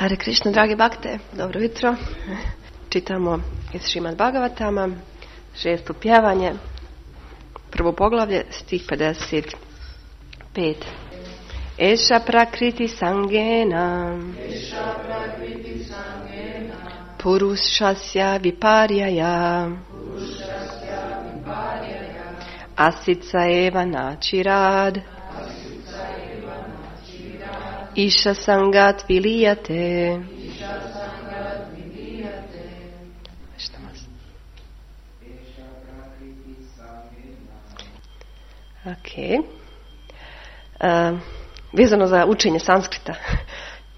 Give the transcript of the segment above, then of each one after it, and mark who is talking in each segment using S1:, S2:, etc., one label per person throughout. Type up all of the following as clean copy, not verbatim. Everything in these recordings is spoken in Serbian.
S1: Hare Krishna, dragi bakte, dobro jutro. Čitamo iz Šrimad Bhagavatama, 6. pjevanje, prvo poglavlje, stih 55. Eša prakriti sangena Purushasya viparjaya Asica eva načirad Isha sangat vilijate. Ok. Vezano za učenje sanskrita.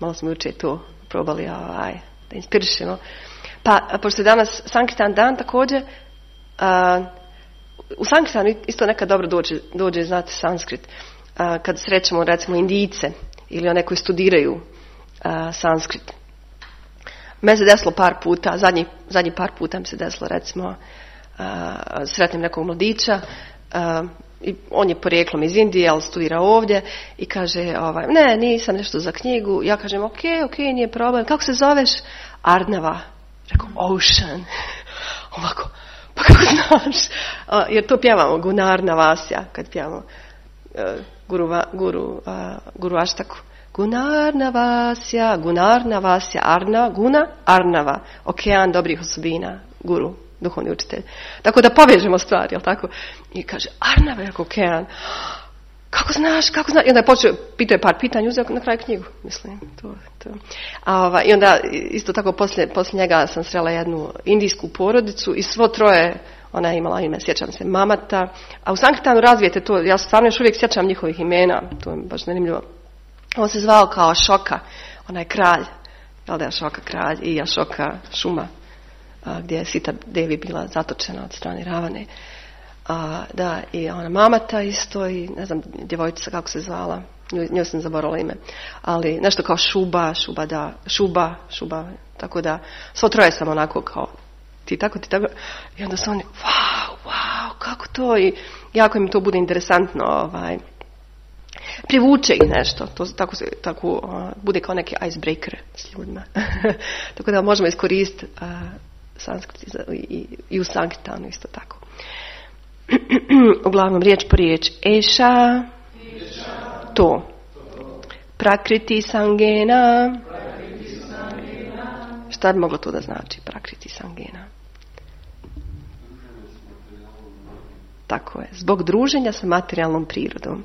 S1: Malo smo jučer to probali da inspirišemo. Pa, pošto je danas Sankirtan dan također, u Sankirtanu isto nekad dobro dođe znati sanskrit. Kad srećemo recimo Indijce ili one koji studiraju sanskrit. Meni se desilo par puta, zadnji par puta mi se desilo recimo sretnem nekog mladića i on je porijeklom iz Indije, ali studira ovdje i kaže, ne, nisam nešto za knjigu. Ja kažem, ok, nije problem. Kako se zoveš? Arnava. Rekao, Ocean. Ovako, pa kako znaš? Jer to pjevamo, Gunarnavasya, kad pjevamo Guru Aštaku. Gunarnavasya, Guna, Arnava. Okean dobrih osobina, Guru, duhovni učitelj. Tako da povežemo stvari, jel tako? I kaže, Arnava je okean. Kako znaš? I onda je počeo, pitao je par pitanja, uzeo na kraju knjigu, mislim. To. I onda, isto tako, poslije njega sam srela jednu indijsku porodicu i svo troje, ona je imala ime, sjećam se, Mamata. A u Sankirtanu razvijete to, ja stvarno još uvijek sjećam njihovih imena, to je baš zanimljivo. On se zvao kao Ašoka, onaj kralj, jel da je Ašoka kralj, i Ašoka šuma, gdje je Sita Devi bila zatočena od strane Ravane. Da, i ona Mamata isto, i ne znam, djevojčica kako se zvala, njoj sam zaboravila ime, ali nešto kao Šuba, tako da, svo troje sam onako kao, ti tako, i onda su oni, wow, kako to, i jako im to bude interesantno, privuče ih nešto, to tako bude kao neki icebreaker s ljudima. Tako da možemo iskoristiti sanskrit i u Sankirtanu isto tako. Uglavnom, riječ po riječ. Eša, to. Prakriti sangena. Šta bi moglo to da znači, prakriti sangena? Tako je. Zbog druženja sa materijalnom prirodom.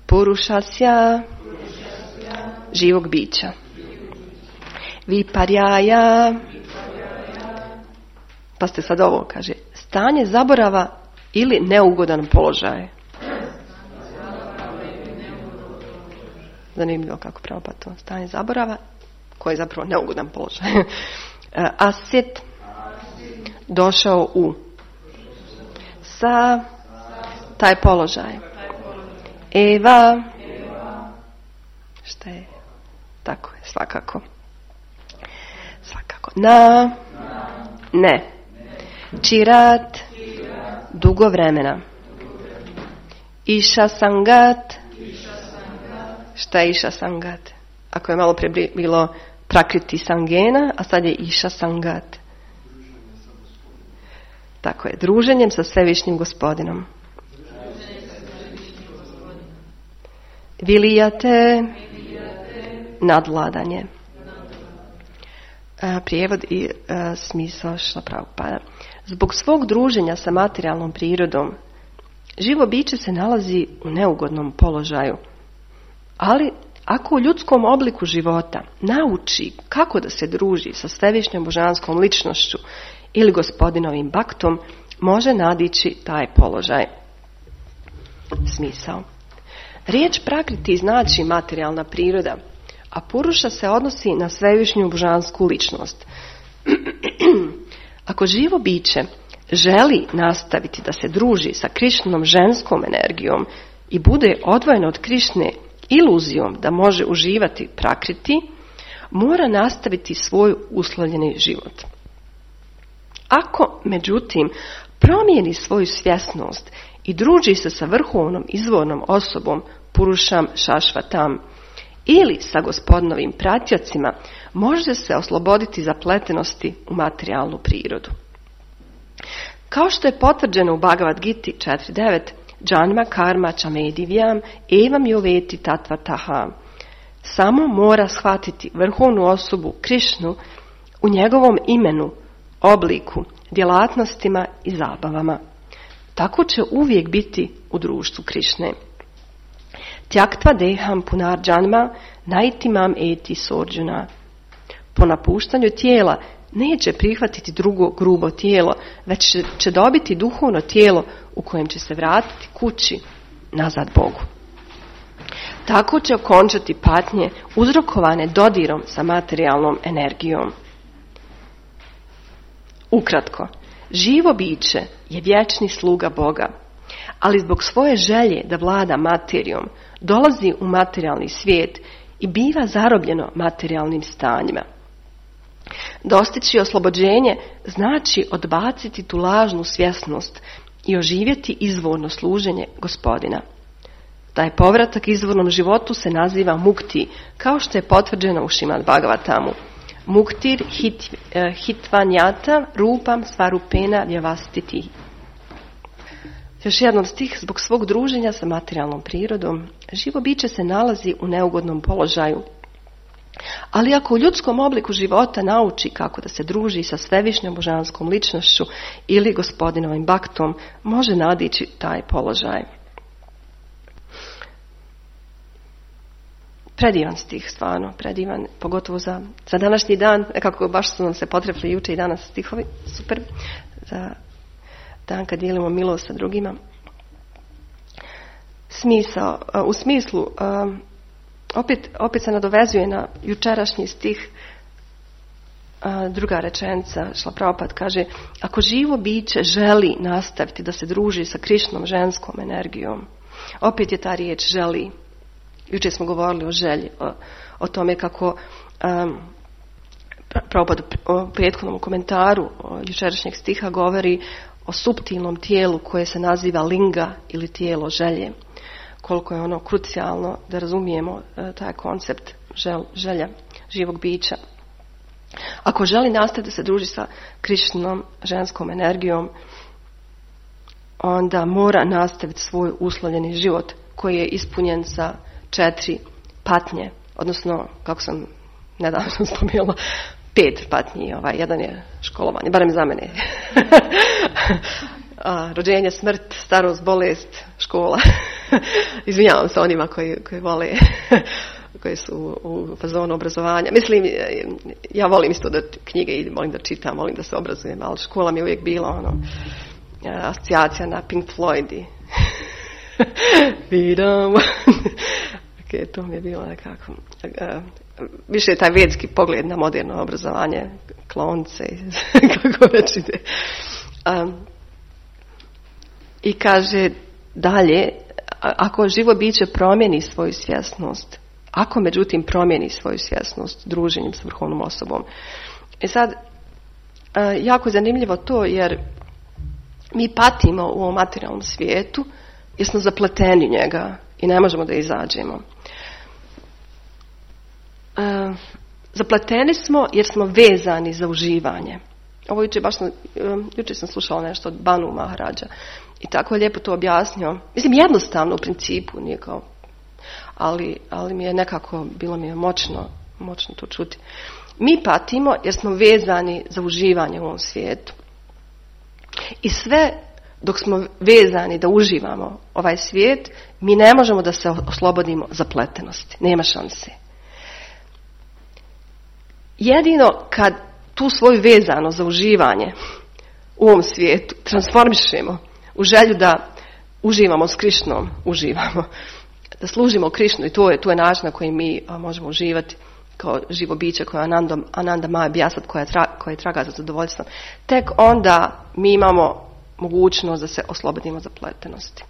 S1: Purushasya, živog bića. Viparjaya, pa ste sad ovo, kaže, stanje zaborava ili neugodan položaj. Zanimljivo kako pravo pa to. Stanje zaborava, koji je zapravo neugodan položaj. Asit, došao u. Sa, taj položaj. Eva, šta je? Tako je, svakako. Na, ne. Čirat, dugo vremena. Iša sangat. Šta je iša sangat? Ako je malo prije bilo prakriti sangena, a sad je iša sangat. Tako je, druženjem sa svevišnjim gospodinom. Vilijate, nadvladanje. Prijevod i smisao Šrila Prabhupada. Zbog svog druženja sa materijalnom prirodom, živo biće se nalazi u neugodnom položaju. Ali ako u ljudskom obliku života nauči kako da se druži sa svevišnjom božanskom ličnošću ili gospodinovim baktom, može nadići taj položaj. Smisao. Riječ prakriti znači materijalna priroda, a Puruša se odnosi na svevišnju božansku ličnost. Ako živo biće želi nastaviti da se druži sa Krišnom ženskom energijom i bude odvojeno od Krišne iluzijom da može uživati prakriti, mora nastaviti svoj uslovljeni život. Ako, međutim, promijeni svoju svjesnost i druži se sa vrhovnom izvornom osobom Purušam Šašvatam ili sa Gospodinovim pratjocima može se osloboditi zapletenosti u materijalnu prirodu. Kao što je potvrđeno u Bhagavad Giti 4.9, Janma karma chamedivyam evam yoveti tatvataha. Samo mora shvatiti vrhovnu osobu Krišnu u njegovom imenu, obliku, djelatnostima i zabavama. Tako će uvijek biti u društvu Krišne. Tyaktva deham punar janma naitimam eti sorđuna. Po napuštanju tijela neće prihvatiti drugo grubo tijelo, već će dobiti duhovno tijelo u kojem će se vratiti kući, nazad Bogu. Tako će okončati patnje uzrokovane dodirom sa materijalnom energijom. Ukratko, živo biće je vječni sluga Boga, ali zbog svoje želje da vlada materijom dolazi u materijalni svijet i biva zarobljeno materijalnim stanjima. Dostići oslobođenje znači odbaciti tu lažnu svjesnost i oživjeti izvorno služenje Gospodina. Taj povratak izvornom životu se naziva mukti, kao što je potvrđeno u Šrimad Bhagavatamu. Muktir hitvanjata rupam svarupena vjavastiti. Još jednom stih, zbog svog druženja sa materijalnom prirodom, živo biće se nalazi u neugodnom položaju. Ali ako u ljudskom obliku života nauči kako da se druži sa svevišnjom božanskom ličnošću ili Gospodinovim baktom, može nadići taj položaj. Predivan stih, stvarno, predivan, pogotovo za današnji dan, nekako baš su nam se potrefili juče i danas stihovi, super, za dan kad dijelimo milost sa drugima. Smisao, u smislu, opet se nadovezuje na jučerašnji stih, druga rečenica, Šrila Prabhupada kaže, ako živo biće želi nastaviti da se druži sa Krišnom ženskom energijom, opet je ta riječ želi. Jučer smo govorili o želji, o tome kako Prabhupada u prethodnom komentaru jučerašnjeg stiha govori o suptilnom tijelu koje se naziva linga ili tijelo želje. Koliko je ono krucijalno da razumijemo taj koncept želja živog bića. Ako želi nastaviti da se druži sa Krišnom ženskom energijom, onda mora nastaviti svoj uslovljeni život koji je ispunjen sa 4 patnje, odnosno, kako sam nedavno spomenula, 5 patnji, jedan je školovanje, barem za mene. Rođenje, smrt, starost, bolest, škola. Izvinjavam se onima koji vole, koji su u fazonu obrazovanja. Mislim, ja volim isto da knjige idem, volim da čitam, volim da se obrazujem, ali škola mi je uvijek bila asocijacija na Pink Floyd i vidam. Ok, to mi je bilo nekako. Više je taj vedski pogled na moderno obrazovanje, klonce, kako već ide. I kaže dalje, ako živo biće promijeni svoju svjesnost, ako međutim promijeni svoju svjesnost druženjem s vrhovnom osobom. I sad, jako je zanimljivo to jer mi patimo u ovom materijalnom svijetu jer smo zapleteni u njega i ne možemo da izađemo. Zapleteni smo jer smo vezani za uživanje. Ovo jučer sam slušala nešto od Banu Maharađa i tako je lijepo to objasnio. Mislim, jednostavno u principu, nije kao, ali mi je nekako, bilo mi je moćno to čuti. Mi patimo jer smo vezani za uživanje u ovom svijetu. I sve dok smo vezani da uživamo ovaj svijet, mi ne možemo da se oslobodimo zapletenosti. Nema šanse. Jedino kad tu svoju vezano za uživanje u ovom svijetu transformišemo u želju da uživamo s Krišnom, da služimo Krišnu i to je način na koji mi možemo uživati kao živo biće koje je Ananda Maya Bjasat koja traga za zadovoljstvom. Tek onda mi imamo mogućnost da se oslobodimo zapletenosti.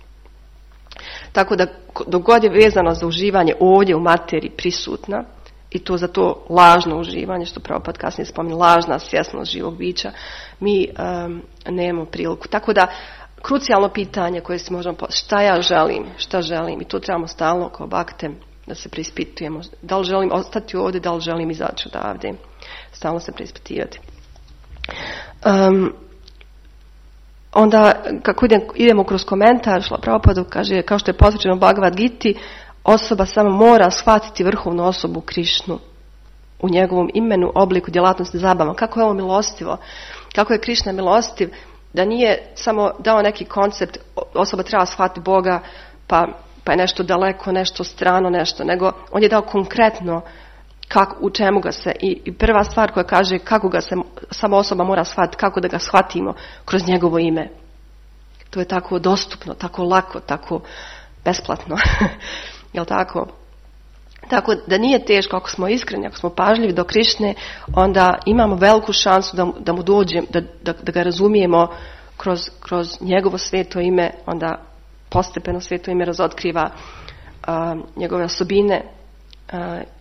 S1: Tako da dok god je vezano za uživanje ovdje u materiji prisutna, i to za to lažno uživanje, što Prabhupada kasnije spominje, lažna svjesnost živog bića, mi nemamo priliku. Tako da, krucijalno pitanje koje si možemo šta želim, i to trebamo stalno kao bakte da se preispitujemo. Da li želim ostati ovdje, da li želim izaći odavde. Stalno se preispitivati. Onda, kako idemo kroz komentar, Šrila Prabhupada kaže, kao što je posvećeno Bhagavad Giti, osoba samo mora shvatiti vrhovnu osobu Krišnu u njegovom imenu, obliku, djelatnosti, zabavama. Kako je ovo milostivo? Kako je Krišna milostiv? Da nije samo dao neki koncept, osoba treba shvatiti Boga, pa je nešto daleko, nešto strano, nešto, nego on je dao konkretno u čemu ga se, i prva stvar koja kaže kako ga se sama osoba mora shvatiti, kako da ga shvatimo kroz njegovo ime. To je tako dostupno, tako lako, tako besplatno. Jel tako? Tako da nije teško, ako smo iskreni, ako smo pažljivi do Krišne, onda imamo veliku šansu da mu dođemo, da ga razumijemo kroz njegovo sveto ime, onda postepeno sveto ime razotkriva njegove osobine,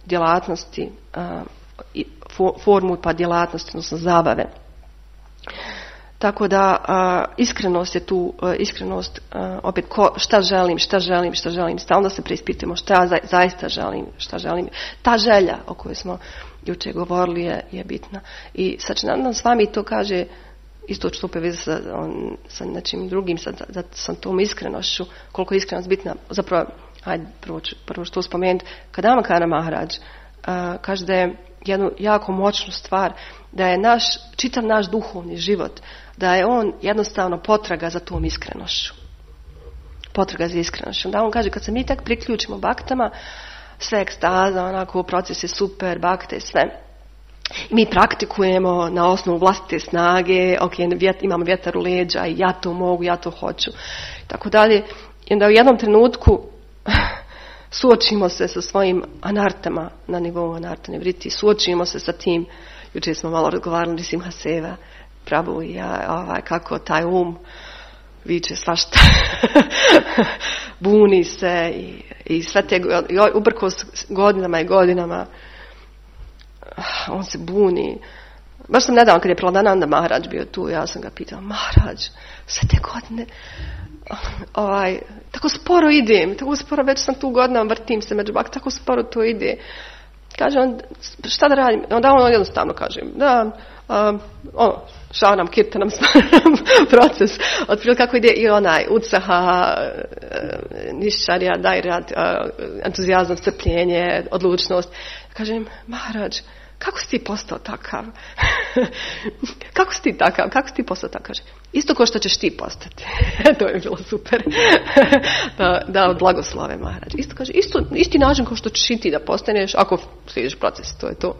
S1: djelatnosti, formu pa djelatnosti, odnosno zabave. Tako da iskrenost je tu, iskrenost opet šta želim, stalno se preispitujemo šta ja zaista želim, šta želim. Ta želja o kojoj smo jučer govorili je bitna. I Sačinandan s vami to kaže, isto što poveze sa nečim drugim, sa tom iskrenošću, koliko je iskrenost bitna. Zapravo, hajde prvo što spomenuti, Kadambakara Maharaj kaže da je jednu jako moćnu stvar, da je čitav naš duhovni život, da je on jednostavno potraga za tom iskrenošću. Potraga za iskrenošću. Da on kaže, kad se mi tek priključimo baktama, sve ekstaza, onako, proces je super, bakte, sve. Mi praktikujemo na osnovu vlastite snage, imamo vjetar u leđa i ja to mogu, ja to hoću. Tako dalje. I onda u jednom trenutku suočimo se sa svojim anartama na nivou anarta nevriti, suočimo se sa tim, jučer smo malo razgovarali s Simhaseva, Prabhu i ja, kako taj viče svašta, buni se i sve te, uprkos godinama i godinama, on se buni. Baš sam nedavno kad je Praladananda Maharaj bio tu, ja sam ga pitala, Maharaj, sve te godine, tako sporo idem, tako sporo, već sam tu godinama, vrtim se među bak, tako sporo to ide. Kaže on, šta da radim? Onda on jednostavno kaže, šavanam, kirtanam, stvaram proces. Otprilike kako ide i onaj utsaha, nišćarija, dajrat, entuzijazam, strpljenje, odlučnost. Kažem, Maharaj, kako si ti postao takav? Kako si ti takav? Kako si ti postao takav? Kaže, isto ko što ćeš ti postati. To je bilo super. da blagoslove Maharaj. Isto kaže, isti način kao što ćeš i ti da postaneš ako slijediš proces. To je to.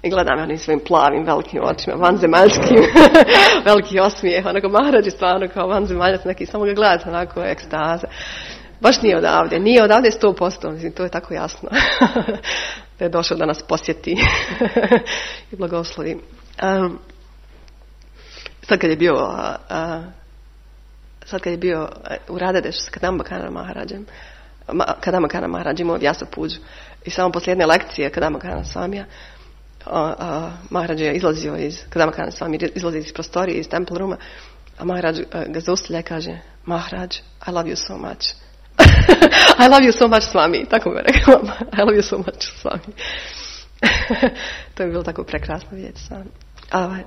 S1: I gledam onim svojim plavim, velikim očima, vanzemaljskim, veliki osmijeh. Onako, Maharaj je stvarno kao vanzemaljac, neki, samo ga gledate, onako, ekstaza. Baš nije odavde 100%, mislim, to je tako jasno. Da je došao da nas posjeti i blagoslovi. Sad kad je bio u Radadeš s Kadambakara Maharađem, Kadambakara Maharađ imao Vyasa Puđu i samo poslije jedne lekcije Kadambakara Svamija, Maharađ je izlazio iz prostorije, iz temple rooma, a Maharađ ga zaustavlja i kaže, Maharađ, I love you so much. I love you so much, Swami. Tako mi je rekao. I love you so much, Swami. To je bilo tako prekrasno vidjeti Swami.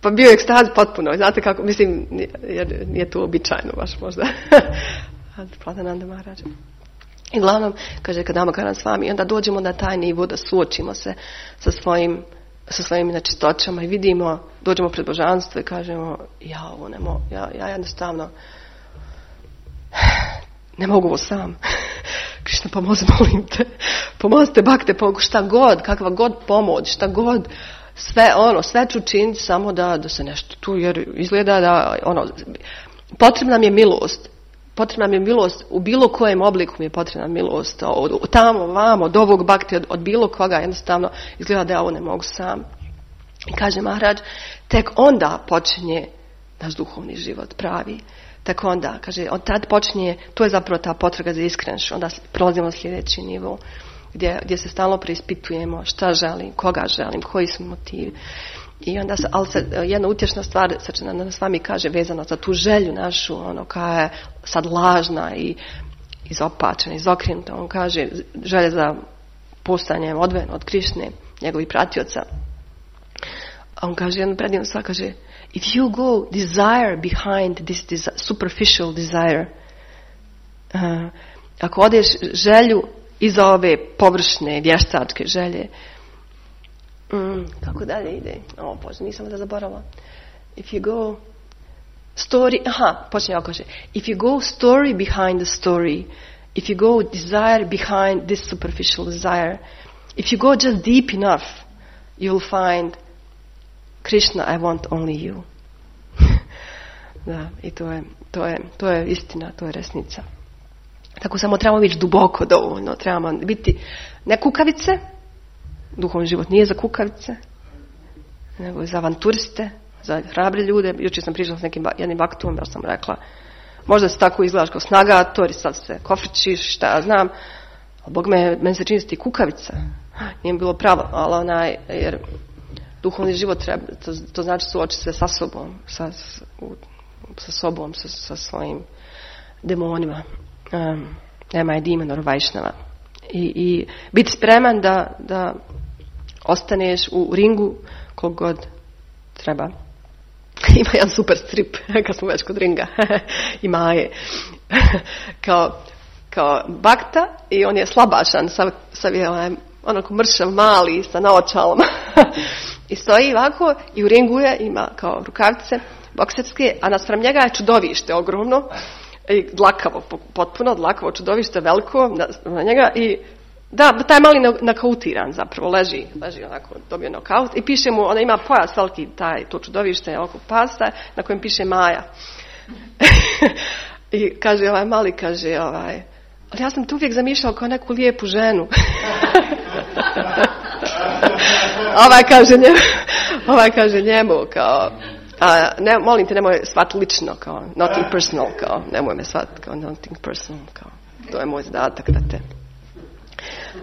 S1: Pa bio je ekstaz potpuno. Znate kako, mislim, jer nije to običajno baš možda. Praladananda Maharaj. I glavnom, kaže Kadambakara Swami, onda dođemo na taj nivo da suočimo se sa svojim nečistoćama i vidimo, dođemo pred božanstvo i kažemo, ja jednostavno ne mogu ovo sam. Krišna, pomozi, molim te. Pomozite, bakte, šta god, kakva god pomoć, šta god, sve ću činiti samo da se nešto tu, jer izgleda da, potrebna mi je milost. Potrebna mi je milost, u bilo kojem obliku mi je potrebna milost, od tamo, vamo, od ovog bakte, od bilo koga, jednostavno izgleda da ja ovo ne mogu sam. I kaže Maharaj, tek onda počinje naš duhovni život pravi. Tako onda, kaže, od tad počinje, to je zapravo ta potraga za iskrenošću, onda prelazimo na sljedeći nivo, gdje se stalno preispitujemo šta želim, koga želim, koji su motivi. I onda, jedna utješna stvar, Sačinananda s vami kaže, vezano za tu želju našu, koja je sad lažna izopačena, izokrenuta. On kaže, želje za postanjem odvojen od Krišne, njegovih pratioca. A on kaže jednu predivnu stvar, kaže, if you go desire behind this superficial desire, ako odeš želju iza ove površne, vještačke želje, kako dalje ide? Bože, nisam da zaboravila. If you go story, počinje ovo kaže, if you go story behind the story, if you go desire behind this superficial desire, if you go just deep enough, you'll find Krishna, I want only you. Da, i to je istina, to je resnica. Tako samo trebamo biti duboko dovoljno, trebamo biti ne kukavice, duhovni život nije za kukavice, nego za avanturiste, za hrabre ljude. Jučer sam pričala s jednim vaktuom, ja sam rekla, možda se tako izgledaš kao snagator i sad se kofričiš, šta ja znam, ali Bog meni se čini ti kukavica. Nije bilo pravo, ali jer duhovni život treba, to znači suočiti se sa sobom, sa sobom, sa svojim demonima. Nema je demon or Vajšnava. I biti spreman da ostaneš u ringu koliko god treba. Ima jedan super strip, kad smo već kod ringa, i Maje. kao bakta i on je slabašan, onako mršav, mali, sa naočalama. I stoji ovako i u ringu ima kao rukavice bokserske, a naspram njega je čudovište ogromno, i dlakavo, potpuno dlakavo čudovište, veliko na njega i da, taj mali nakautiran zapravo, leži onako, dobio nokaut i piše mu, ona ima pojas veliki, to čudovište oko pasta na kojem piše Maja. I kaže ovaj mali, ali ja sam tu uvijek zamišljao kao neku lijepu ženu. Ovaj kaže njemu kao, molim te, nemoj shvat lično, kao nothing personal, kao nemoj me shvat kao nothing personal, kao to je moj zadatak da te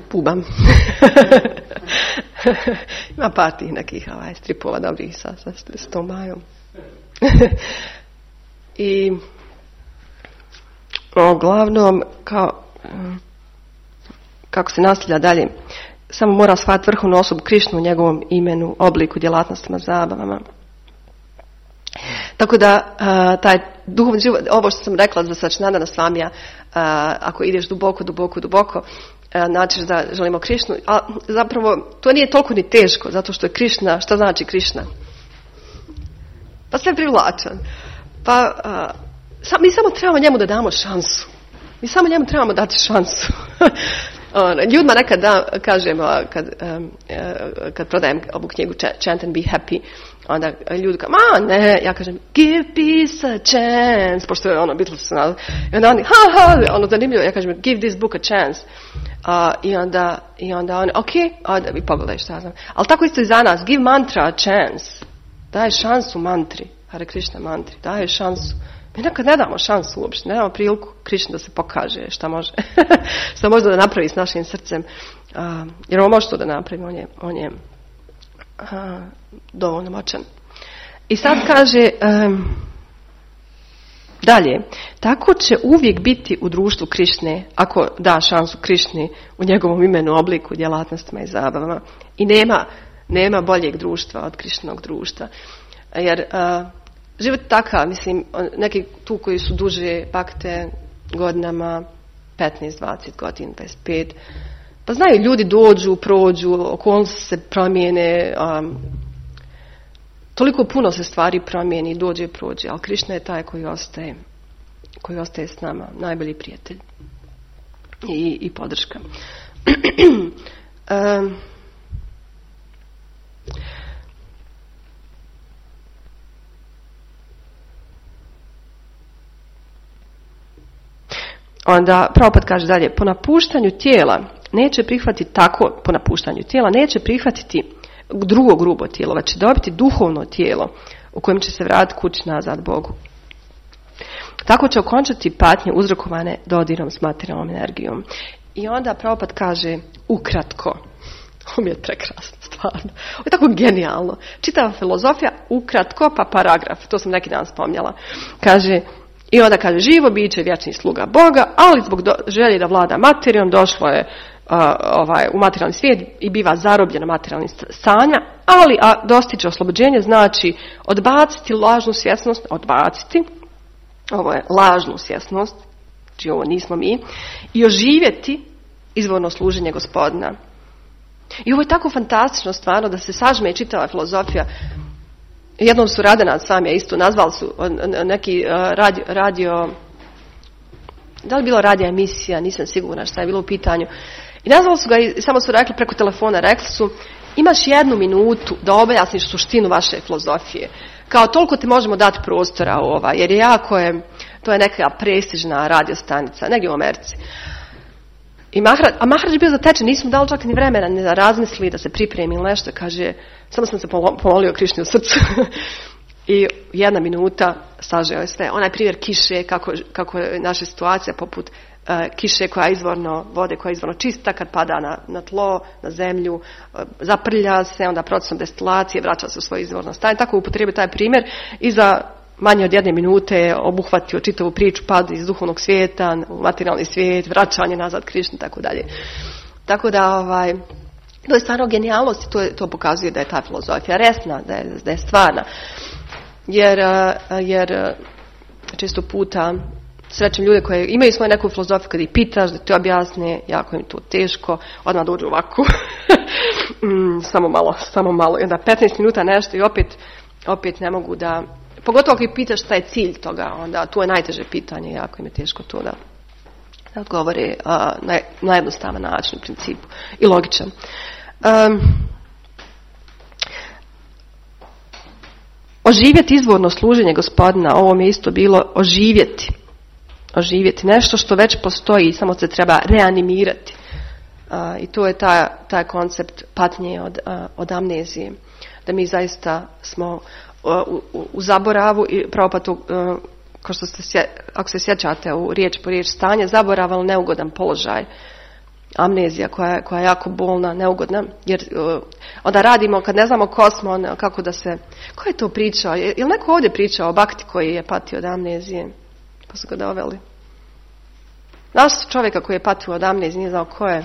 S1: pubam. Ima par tih nekih stripova dobrih s tom Majom. I uglavnom kako se nastavlja dalje, samo mora shvatiti vrhovnu osobu Krišnu u njegovom imenu, obliku, djelatnostima, zabavama. Tako da taj duhovni život, ovo što sam rekla za Sačinandana Svamija, ako ideš duboko, način da želimo Krišnu, a zapravo to nije toliko ni teško, zato što je Krišna, šta znači Krišna? Pa sve privlačan. Pa mi samo trebamo njemu da damo šansu. Mi samo njemu trebamo dati šansu. Ljudima nekad kažem, kad prodajem ovu knjigu Chant and Be Happy, onda ljudi kao, ne, ja kažem, give peace a chance, pošto je Beatles, i onda oni, zanimljivo, ja kažem, give this book a chance. I onda oni, da vi pogledaj šta znam. Ali tako isto i za nas, give mantra a chance. Daj šansu mantri, Hare Krishna mantri, daj šansu. Mi nekad ne damo šansu uopšte, ne damo priliku Krišni da se pokaže šta može. Šta može da napravi s našim srcem. Jer on može to da napravi, on je dovoljno moćan. I sad kaže dalje, tako će uvijek biti u društvu Krišne, ako da šansu Krišni u njegovom imenu, obliku, djelatnostima i zabavama. I nema boljeg društva od Krišnog društva. Jer život je takav, mislim, neki tu koji su duže bakte godinama, 15, 20 godina, 25, pa znaju, ljudi dođu, prođu, okolnosti se promijene, toliko puno se stvari promijeni, dođe i prođe, ali Krišna je taj koji ostaje s nama, najbolji prijatelj i podrška. Onda Prabhupada kaže dalje, po napuštanju tijela neće prihvatiti drugo grubo tijelo, već će dobiti duhovno tijelo u kojem će se vratiti kući nazad Bogu. Tako će okončati patnje uzrokovane dodirom s materijalnom energijom. I onda Prabhupada kaže ukratko, ovo mi je prekrasno stvarno, ovo je tako genijalno, čitava filozofija ukratko pa paragraf, to sam neki dan spominjala, kaže I onda kaže, živo biće vječni sluga Boga, ali zbog želje da vlada materijom došlo je u materijalni svijet i biva zarobljeno materijalnim stanjima, ali dostići oslobođenje znači odbaciti lažnu svjesnost, ovo je lažnu svjesnost, znači ovo nismo mi, i oživjeti izvorno služenje Gospodina. I ovo je tako fantastično stvarno da se sažme čitava filozofija. Jednom su Radena sam je isto nazvali su neki radio, da li je bilo radija emisija, nisam sigurna šta je bilo u pitanju. I nazvali su ga i samo su rekli preko telefona, rekli su imaš 1 minutu da objasniš suštinu vaše filozofije. Kao toliko ti možemo dati prostora jer je to je neka prestižna radiostanica, negdje u Americi. Maharaj je bio zatečen, nismo dali čak ni vremena ni da razmisli, da se pripremi ili nešto, kaže, samo sam se pomolio Krišni u srcu. I 1 minuta sažeo je sve. Onaj primjer kiše, kako je naša situacija poput kiše koja je izvorno, vode koja je izvorno čista, kad pada na tlo, na zemlju, zaprlja se, onda procesom destilacije vraća se u svoje izvorno stanje. Tako upotrijebio taj primjer i za manje od 1 minute obuhvatio čitavu priču, pad iz duhovnog svijeta u materijalni svijet, vraćanje nazad Krišni, tako dalje. Tako da, to je stvarno genijalnost i to pokazuje da je ta filozofija resna, da je stvarna. Jer često puta srećem ljude koje imaju svoju neku filozofiju, kad ih pitaš da ti objasne, jako im to teško, odmah dođu ovako, samo malo, i onda 15 minuta nešto i opet ne mogu da, pogotovo ako ih pitaš šta je cilj toga, onda to je najteže pitanje, jako im je teško to da odgovore na jednostavan način u principu i logičan. Oživjeti izvorno služenje Gospodina, ovo mi je isto bilo oživjeti nešto što već postoji, samo se treba reanimirati. I to je taj koncept patnje od amnezije, da mi zaista smo u zaboravu i Prabhupada tu, kao što ako se sjećate u riječ po riječ stanje, zaborav, ali neugodan položaj. Amnezija koja je jako bolna, neugodna, jer onda radimo, kad ne znamo ko smo, kako da se, ko je to pričao, je li neko ovdje pričao o Bakti koji je patio od amnezije, pa su ga doveli. Našli su čovjeka koji je patio od amnezije, nije znao ko je.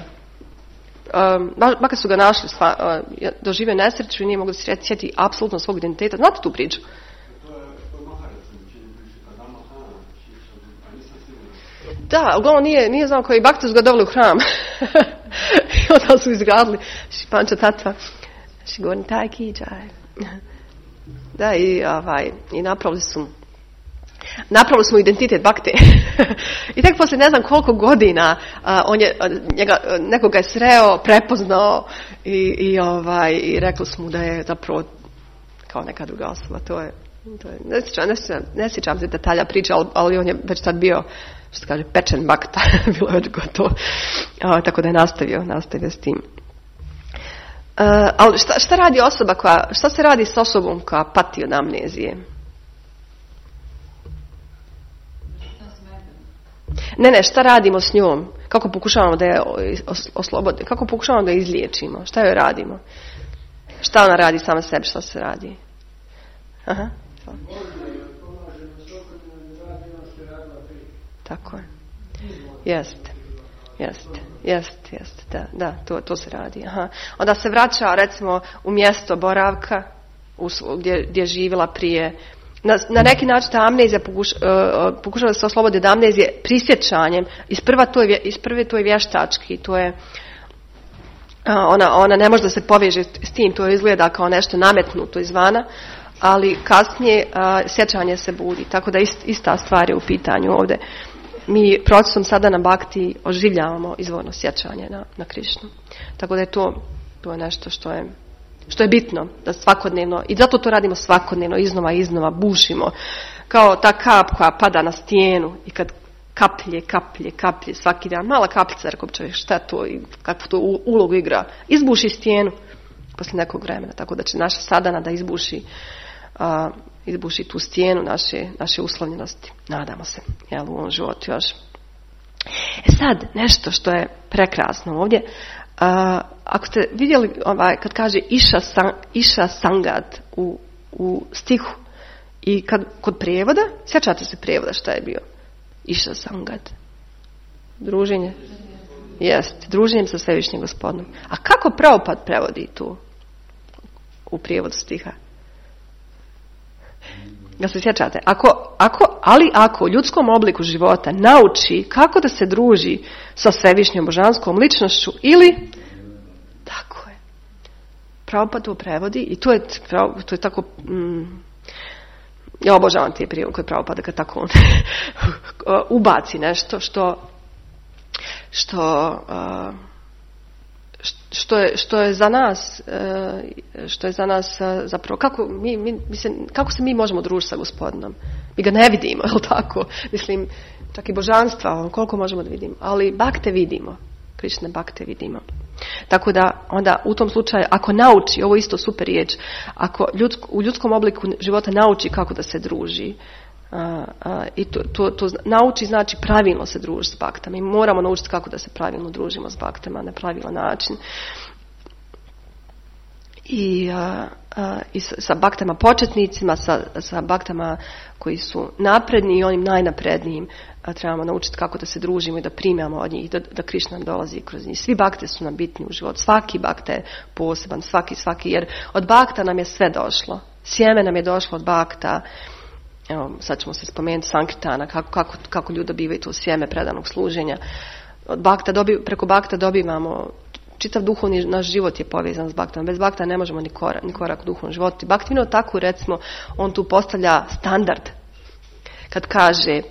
S1: Makar su ga našli, doživio nesreću i nije mogu se sjetiti apsolutno svog identiteta. Znate tu priču? Da, uglavnom nije znao koji Bakti su ga doveli u hram. I onda su izgradili Šipanča Tatva. Šigorni taj kiđaj. Da, i napravili smo identitet Bakte. I tek poslije ne znam koliko godina nekoga je sreo, prepoznao i rekli smo da je zapravo kao neka druga osoba. To je ne sjećam se detalja priča, ali on je već tad bio, što se kaže, pečen Bakta. Bilo je već gotovo. Tako da je nastavio s tim. Ali šta radi osoba šta se radi s osobom koja pati od amnezije? Ne, šta radimo s njom? Kako pokušavamo da je oslobodimo? Kako pokušavamo da je izliječimo? Šta joj radimo? Šta ona radi sama sebi? Šta se radi? Aha. Tako je. Jeste. Da, to se radi. Aha. Onda se vraća, recimo, u mjesto boravka gdje je živjela prije. Na neki način ta amnezija pokušava da se oslobodi od amnezije prisjećanjem. Isprve to je vještački, to je ona ne može da se poveže s tim, to izgleda kao nešto nametnuto izvana, ali kasnije sjećanje se budi, tako da ista stvar je u pitanju ovdje. Mi procesom sada na Bakti oživljavamo izvorno sjećanje na Krišnu. Tako da je to je nešto što je bitno, da svakodnevno, i zato to radimo svakodnevno, iznova bušimo, kao ta kap koja pada na stijenu i kad kaplje svaki dan, mala kapljica, rekao bi čovjek, šta to i kakvu to ulogu igra, izbuši stijenu poslije nekog vremena, tako da će naša sadana da izbuši tu stijenu naše uslovljenosti, nadamo se, u ovom životu još. Sad, nešto što je prekrasno ovdje, ako ste vidjeli kad kaže Iša Sangat u stihu, I kod prevoda, sjećate se prevoda šta je bio? Išao sangat. Druženje. Jest, druženjem sa Svevišnjim Gospodom. A kako Prabhupada prevodi tu? U prijevodu stiha? Da se sjećate? Ako u ljudskom obliku života nauči kako da se druži sa Svevišnjom božanskom ličnošću ili... Tako je. Prabhupada to prevodi i to je tako... Ja obožavam te prijevode koje Prabhupada kad tako ubaci nešto što je za nas zapravo kako se mi možemo družiti sa Gospodinom. Mi ga ne vidimo, je li tako? Mislim, čak i božanstva, koliko možemo da vidimo, ali bakte vidimo. Krišne bakte vidimo. Tako da onda u tom slučaju ako nauči, ovo isto super riječ, ako u ljudskom obliku života nauči kako da se druži, i to nauči znači pravilno se družiti s baktama. Mi moramo naučiti kako da se pravilno družimo s baktama na pravilan način. I sa baktama početnicima, sa baktama koji su napredni i onim najnaprednijim trebamo naučiti kako da se družimo i da primamo od njih, da Krišna dolazi kroz njih. Svi bakte su nam bitni u životu. Svaki bakte je poseban, svaki, jer od bakta nam je sve došlo. Sjeme nam je došlo od bakta. Evo, sad ćemo se spomenuti Sankirtana, kako ljudi dobivaju to sjeme predanog služenja. Preko bakta dobivamo čitav duhovni naš život je povezan s baktom. Bez bakta ne možemo ni korak u duhovnom životu. Baktivino tako, recimo, on tu postavlja standard. Kad kaže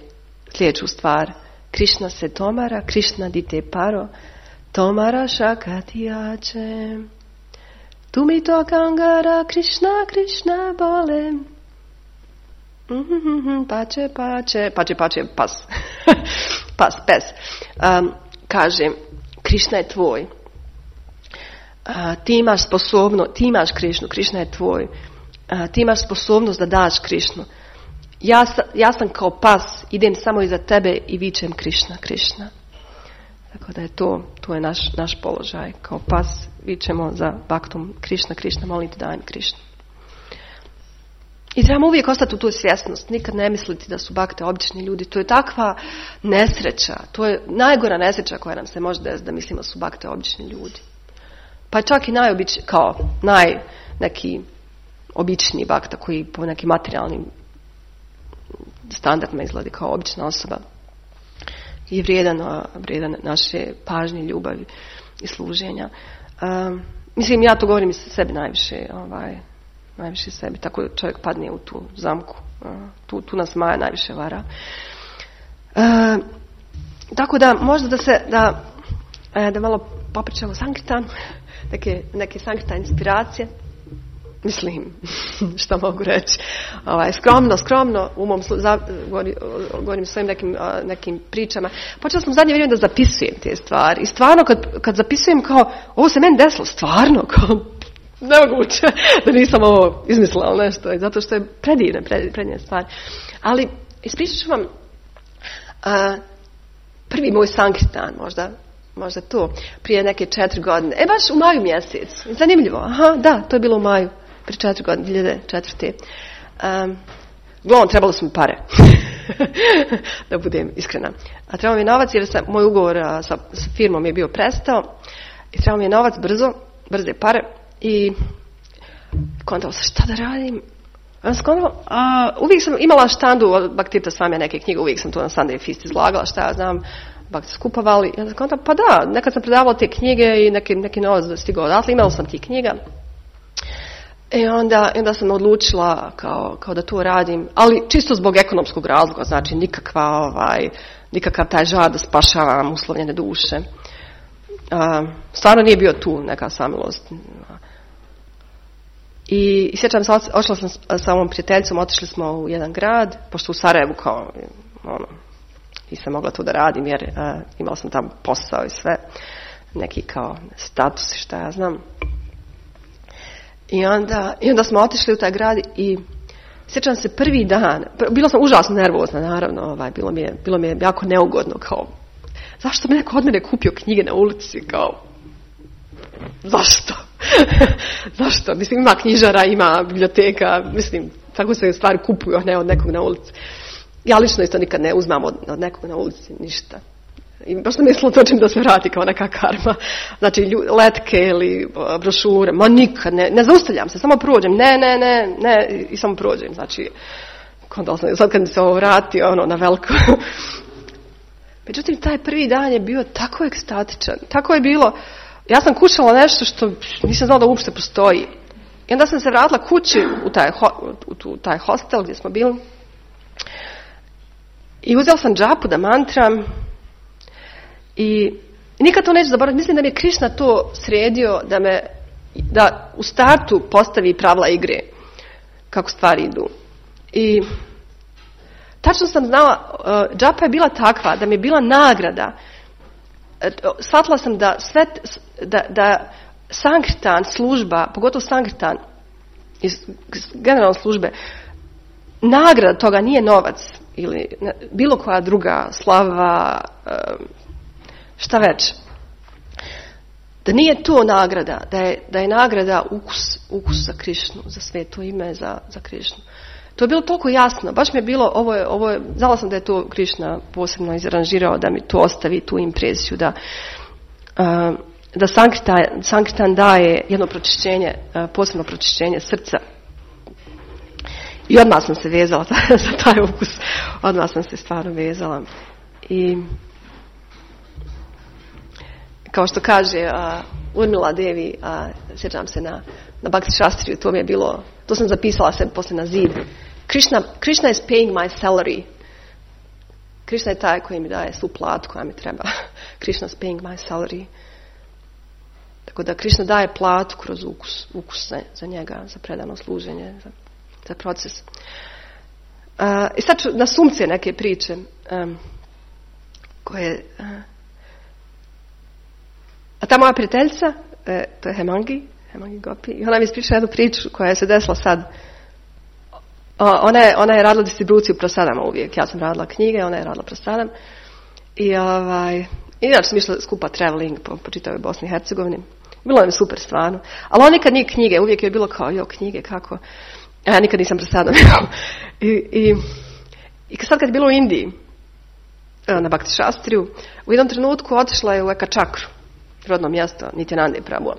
S1: sljedeću stvar, Krišna se tomara, Krišna dite paro, tomara šakatijače. Tu mi to kangara, Krišna bole. Pače, pas. Pes. Kaže, Krišna je tvoj. Ti imaš Krišnu, Krišna je tvoj. Ti imaš sposobnost da daš Krišnu. Ja sam kao pas, idem samo iza tebe i vičem Krišna. Tako da je to je naš položaj. Kao pas vičemo za baktom Krišna, molim te daj mi Krišnu. I trebamo uvijek ostati u tu svjesnost, nikad ne misliti da su bakte obični ljudi. To je takva nesreća, to je najgora nesreća koja nam se može desiti da mislimo da su bakte obični ljudi. Pa čak i neki obični bakta koji po nekim materijalnim standardima izgleda kao obična osoba je vrijedan naše pažnje, ljubavi i služenja. Mislim, ja to govorim iz sebi najviše sebi, tako čovjek padne u tu zamku. Tu nas Maja najviše vara. Tako da možda da malo popričamo Sankirtan, neke Sankirtan inspiracije. Mislim, što mogu reći. Skromno, umom govorim svojim nekim pričama. Počela sam u zadnje vrijeme da zapisujem te stvari. I stvarno kad zapisujem kao, ovo se meni desilo, stvarno, kao, nemoguće da nisam ovo izmislila nešto, zato što je predivne stvari. Ali ispričat ću vam prvi moj Sankirtan, možda to, prije neke 4 godine. Baš u maju mjesec. Zanimljivo. Da, to je bilo u maju, prije 4 godine, 2004. Uglavnom, trebalo su mi pare. Da budem iskrena. A trebalo mi je novac jer moj ugovor sa firmom je bio prestao. I trebalo mi je novac brze pare. I kontala sam šta da radim. Uvijek sam imala štandu od Bhaktivinoda Swamija neke knjige, uvijek sam to na Sunday Feast izlagala, šta ja znam, Bhakti skupovali. Ja sam kontala, pa da, nekad sam predavala te knjige i neki novac stigao odatle, imala sam tih knjiga. I onda sam odlučila kao da to radim, ali čisto zbog ekonomskog razloga, znači nikakav taj žar da spašavam uslovljene duše. Stvarno nije bio tu neka samilost. I sjećam se, ošla sam sa ovom prijateljicom, otišli smo u jedan grad, pošto u Sarajevu kao, nisam mogla to da radim jer imala sam tamo posao i sve, neki kao status i šta ja znam. I onda smo otišli u taj grad i sjećam se prvi dan, bila sam užasno nervozna naravno, bilo mi je jako neugodno, kao, zašto bi neko od mene kupio knjige na ulici, kao, zašto? Zašto? Mislim, ima knjižara, ima biblioteka, mislim, Tako se stvari kupuju, a ne od nekog na ulici. Ja lično isto nikad ne uzmam od nekog na ulici ništa. I baš sam mislila to čim da se vrati kao neka karma. Znači letke ili brošure, ma nikad ne zaustavljam se, samo prođem, ne i samo prođem. Znači, sad kad mi se ovo vrati, na veliko. Međutim, taj prvi dan je bio tako ekstatičan, tako je bilo, ja sam kućala nešto što nisam znala da uopšte postoji. I onda sam se vratila kući u taj hostel gdje smo bili i uzela sam džapu da mantram i nikad to neću zaboraviti. Mislim da mi je Krišna to sredio da u startu postavi pravila igre, kako stvari idu. I tačno sam znala, džapa je bila takva da mi je bila nagrada. Shvatila sam da Sankirtan služba, pogotovo Sankirtan iz generalne službe, nagrada toga nije novac ili bilo koja druga slava, šta već. Da nije to nagrada, da je nagrada ukus za Krišnu, za sveto ime, za Krišnu. To je bilo toliko jasno, baš mi je bilo, ovo je, znala sam da je to Krišna posebno izranžirao, da mi to ostavi tu impresiju, da Sankirtan daje jedno pročišćenje, posebno pročišćenje srca. I odmah sam se vezala za taj ukus, odmah sam se stvarno vezala. I kao što kaže Urmila Devi, sjećam se na Bhakti Shastriju, to mi je bilo, to sam zapisala sebi poslije na zid. Krishna is paying my salary. Krishna je taj koji mi daje svu platu koja mi treba. Krishna is paying my salary. Tako da Krishna daje platu kroz ukus za njega, za predano služenje, za proces. I sad ću na sumce neke priče koje... A ta moja prijateljica, to je Hemangi Gopi, i ona mi ispričala jednu priču koja se desila sad. Ona je radila distribuciju Prasadama uvijek. Ja sam radila knjige, ona je radila Prasadam. I inače sam išla skupa traveling po čitavoj Bosni i Hercegovini. Bilo je super stvarno. Ali ona nikad nije knjige, uvijek je bilo kao, knjige, kako? A ja nikad nisam Prasadam. I sad kad je bilo u Indiji, na Bhakti Shastriju, u jednom trenutku otišla je u Eka Čakru, rodno mjesto Nityanande Prabhu.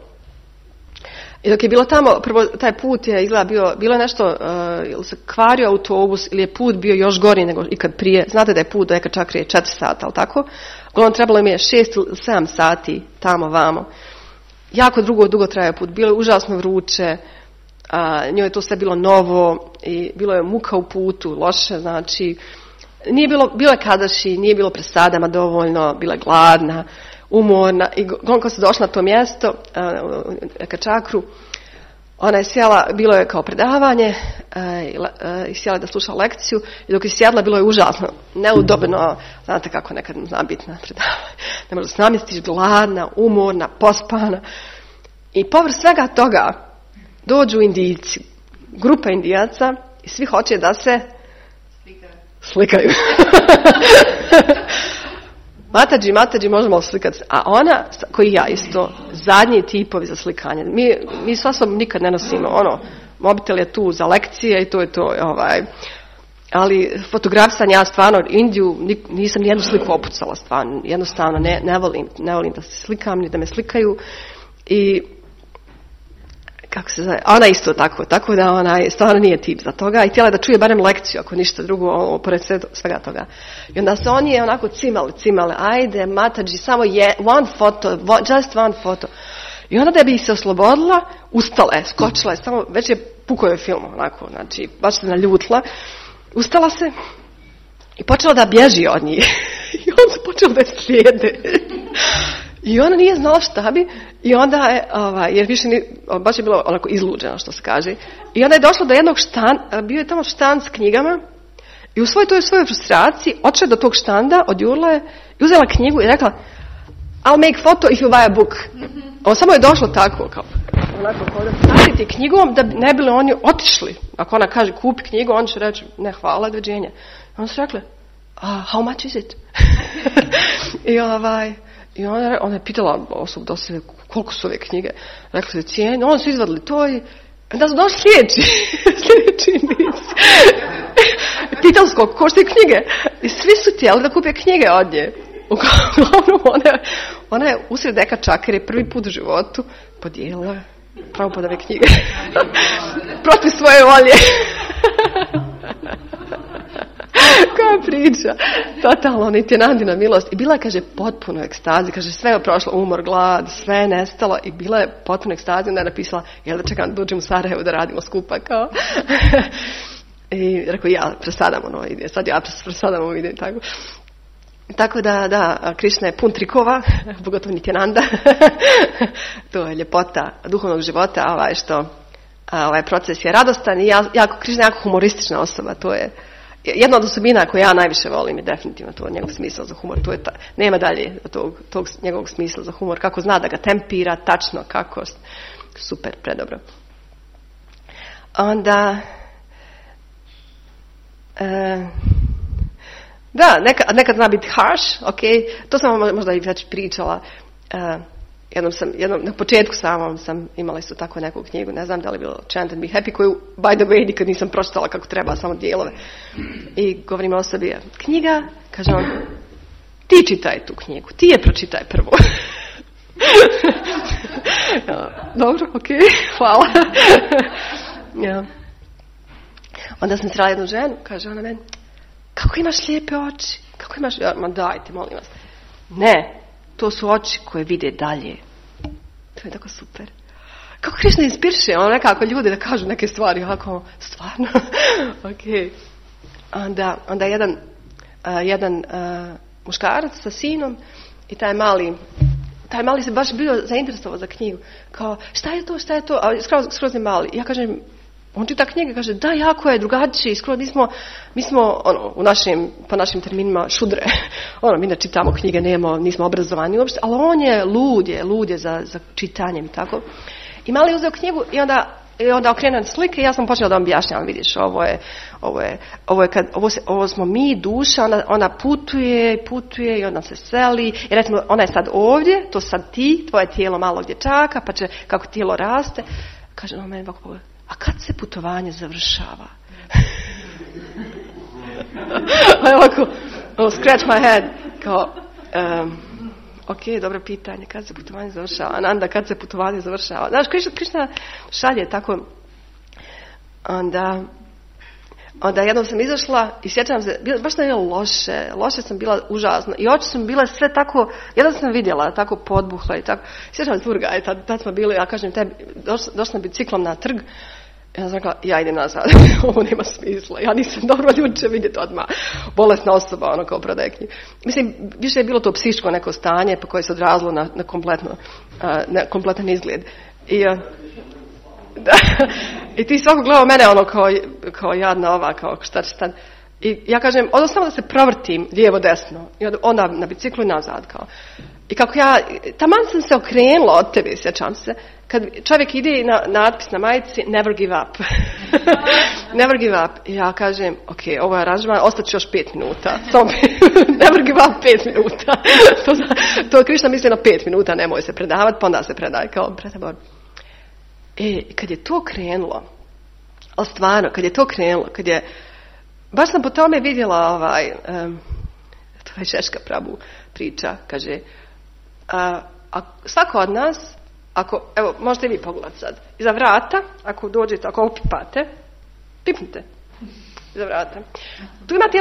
S1: I dok je bilo tamo, prvo taj put je izgleda bilo je nešto, ili se kvario autobus ili je put bio još gori nego ikad prije. Znate da je put do Eka Čakre 4 sata, ali tako? Uglavnom trebalo mi je 6 ili 7 sati tamo vamo. Jako dugo trajao put, bilo je užasno vruće, njoj je to sve bilo novo i bilo je muka u putu, loše, znači nije bilo je kadaši, nije bilo presadama dovoljno, bila je gladna, umorna i kad se došla na to mjesto, Eka Čakru, ona je sjela, bilo je kao predavanje i sjela da sluša lekciju i dok je sjedla bilo je užasno, neudobno, znate kako nekad zna biti na predavanju, ne možda se namjestiš, gladna, umorna, pospana i povrh svega toga dođu Indijci, grupa Indijaca i svi hoće da se slikaju. Matađi, možemo slikati. A ona, koji ja isto, zadnji tipovi za slikanje. Mi s osobom nikad ne nosimo, mobitel je tu za lekcije i to je to, ali fotografisanje, ja stvarno Indiju nisam nijednu sliku opucala, stvarno, jednostavno ne volim da se slikam, ni da me slikaju i kako se zove, ona isto tako da ona stvarno nije tip za toga i htjela da čuje barem lekciju, ako ništa drugo, pored svega toga. I onda se oni je onako cimale, ajde Matađi, samo one photo, just one photo. I onda da bi se oslobodila, ustala je, skočila je, samo, već je pukao je film, onako, znači, baš se naljutila, ustala se i počela da bježi od njih. I on se počeo da je slijede. I ona nije znala šta bi i onda je, jer više baš je bilo onako izluđena, što se kaže. I onda je došla do jednog bio je tamo štand s knjigama i u svojoj frustraciji otišla do tog štanda, odjurila je i uzela knjigu i rekla I'll make photo if you buy a book. On samo je došlo tako, kao onako da staviti knjigom da ne bili oni otišli. Ako ona kaže kupi knjigu, on će reći ne hvala, doviđenja. Onda su rekli how much is it? I ona je pitala osobu koliko su ove knjige. Rekla se cijene, oni su izvadili to i Onda su došli sljedeći niz. Pitali su koliko koštaju knjige. I svi su htjeli da kupe knjige od nje. Uglavnom, ona je usred deka čakere prvi put u životu podijelila Prabhupádove knjige. Protiv svoje volje. Koja priča. Totalno, Nityanandina milost. I bila je, kaže, potpuno ekstazi. Kaže, sve je prošlo, umor, glad, sve je nestalo. I bila je potpuno ekstazi. Onda je napisala, jel da čekam da uđem u Sarajevo da radimo skupa, kao. I rekao, ja presadam ono ide. Sad ja presadam ovo ide, tako. Tako da, Krišna je pun trikova, pogotovo Nityananda. To je ljepota duhovnog života, što ovaj proces je radostan i Krišna je jako humoristična osoba. To je jedna od osobina koju ja najviše volim i definitivno to je njegov smisao za humor. To je nema dalje tog njegovog smisla za humor. Kako zna da ga tempira, tačno, kako. Super, predobro. Onda... Da, nekad zna biti harsh, ok, to sam vam možda i već pričala. Jednom na početku sam imala isto tako neku knjigu, ne znam da li je bilo Chant and Be Happy, koju, by the way, nikad nisam pročitala kako treba, samo dijelove. I govorim osobi, knjiga, kaže on, ti čitaj tu knjigu, ti je pročitaj prvo. Dobro, ok, hvala. Ja. Onda sam srela jednu ženu, kaže ona meni, kako imaš lijepe oči? Kako imaš... Ma dajte, molim vas. Ne, to su oči koje vide dalje. To je tako super. Kako Krišna inspiriše, ono nekako ljude da kažu neke stvari, ovako, stvarno. Ok. Onda jedan muškarac sa sinom i taj mali se baš bio zainteresovao za knjigu. Kao, šta je to? A skroz je mali. Ja kažem, on čita knjige, kaže, da, jako je drugačiji, skoro mi smo po našim terminima šudre. Mi ne čitamo knjige, nismo obrazovani uopšte, ali on je lud je za čitanjem, tako. I mali je uzeo knjigu i onda okrene slike i ja sam počela da vam objašnjavam, vidiš, ovo smo mi, duša, ona putuje i onda se seli. I recimo, ona je sad ovdje, to sad ti, tvoje tijelo malo gdje čaka, pa će, kako tijelo raste, kaže, on meni ovako pogleda. A kad se putovanje završava? Ovako, scratch my head. Kao, ok, dobro pitanje, kad se putovanje završava? Ananda, kad se putovanje završava? Znaš, Krišna šalje tako. Onda jednom sam izašla i sjećam se, baš sam bila loše sam bila užasno. I oči sam bile sve tako, jednom sam vidjela, tako podbuhla i tako. Sjećam se Turga, tad smo bili, ja kažem tebi, došla sam biciklom na trg. Ja sam rekla, ja idem nazad, ovo nema smisla, ja nisam dobro ljuče vidjeti odmah. Bolesna osoba, kao prodaje knjige. Mislim, više je bilo to psihičko neko stanje pa koje se odrazilo na kompletan izgled. I ti svako gledao mene kao jadna ova, kao šta će sad. I ja kažem, samo da se provrtim lijevo desno. I onda na biciklu i nazad kao. I kako taman sam se okrenula od tebe, sjećam se, kad čovjek ide na natpis na majici, never give up. Never give up. I ja kažem, ok, ovo je aranžman, ostaću još 5 minuta. Never give up 5 minuta. To Krišna misli na 5 minuta, nemoj se predavati, pa onda se predaj kao predabor. Kad je to krenulo, ali stvarno, baš sam po tome vidjela to je Šeška Prabhu priča, kaže, svako od nas, evo, možete i vi pogledati sad, iza vrata, ako dođete, ako opipate, pipnite iza vrata. Tu imate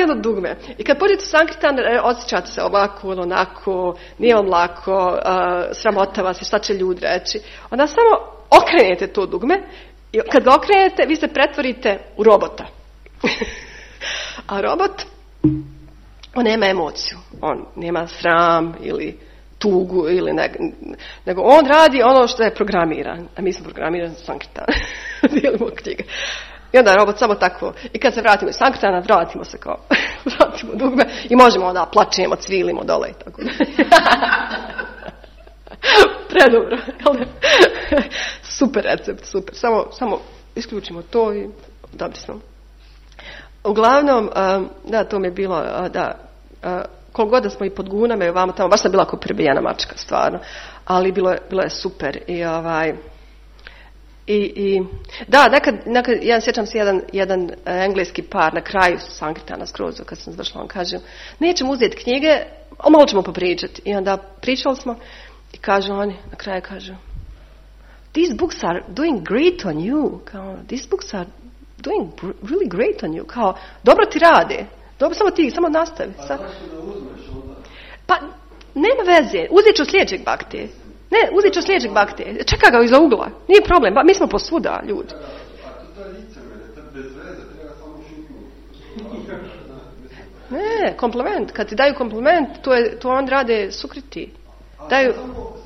S1: jedno dugme. I kad pođete u Sankirtan, osjećate se ovako, onako, nije vam lako, sramota se, šta će ljudi reći. Onda samo okrenete to dugme i kad ga okrenete, vi se pretvorite u robota. A robot, on nema emociju, on nema sram ili tugu ili nego on radi ono što je programiran, a mi smo programirani za Sankirtan. Dijelimo knjige. I onda robot samo tako. I kad se vratimo iz Sankrtana, vratimo dugme i možemo onda plačemo, cvilimo dole i tako. Predobro. Super recept, super. Samo isključimo to i dobri smo. Uglavnom, to mi je bilo, koliko god da smo i pod gunama i ovamo tamo, baš sam bila kao prebijena mačka, stvarno. Ali bilo je super. Da, nekad ja sjećam se jedan engleski par na kraju Sankrtana skroz, kad sam završila, on kaže, nećemo uzeti knjige, malo ćemo popričati. I onda pričali smo i kažu oni, na kraju kažu, these books are doing great on you. Kao, these books are doing really great on you. Kao, dobro ti rade. Dobro, samo nastavi.
S2: A zašto da uzmeš onda?
S1: Pa, nema veze. Uzet ću sljedećeg bakte. Ne, uzet ću sljedećeg bakte. Čeka ga iza ugla. Nije problem. Mi smo posvuda, ljudi.
S2: A to je licemere, to je bez veze, treba samo šutnuti.
S1: Ne, kompliment. Kad ti daju kompliment, to on rade sukriti. Daju...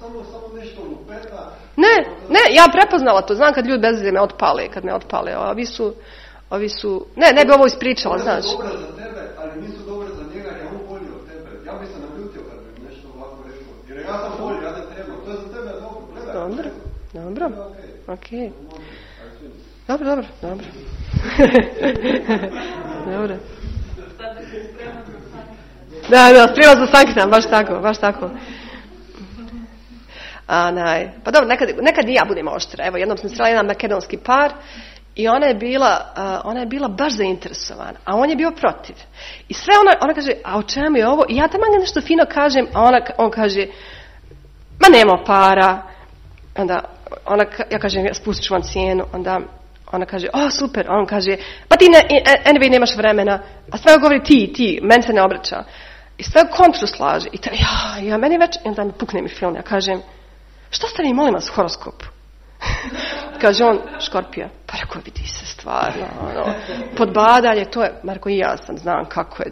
S2: Samo nešto lupeta.
S1: Ne, ja prepoznala to. Znam kad ljudi bez veze kad me otpale. Ovi su... Ne bi ovo ispričala, znaš.
S2: Oni su dobre za tebe, ali nisu dobre za njega, jer je on bolji od tebe. Ja bi se naljutio kad bi nešto ovako rekao. Jer ja sam bolji, ja te trebam. To je za tebe dobro. Gledaj.
S1: Dobro. Ok. Dobro. Dobro. Da, sprema za Sankrtan, baš tako. Pa dobro, nekad i ja budem oštra. Evo, jednom sam srela jedan makedonski par i ona je bila baš zainteresovana, a on je bio protiv. I sve ona kaže, a o čemu je ovo? I ja tamo nešto fino kažem, a on kaže, ma nema para. Onda ja kažem, spustit ću vam cijenu. Onda ona kaže, super. On kaže, pa ti anyway nemaš vremena. A sve govori ti, meni se ne obraća. I sve kontru slaže. I ja meni već, i onda mi pukne mi film. Ja kažem, što ste vi, molim vas, horoskop? Kaže on, Škorpija. Pa rekao, vidi se stvarno. Podbadanje, to je, Marko, i ja znam kako je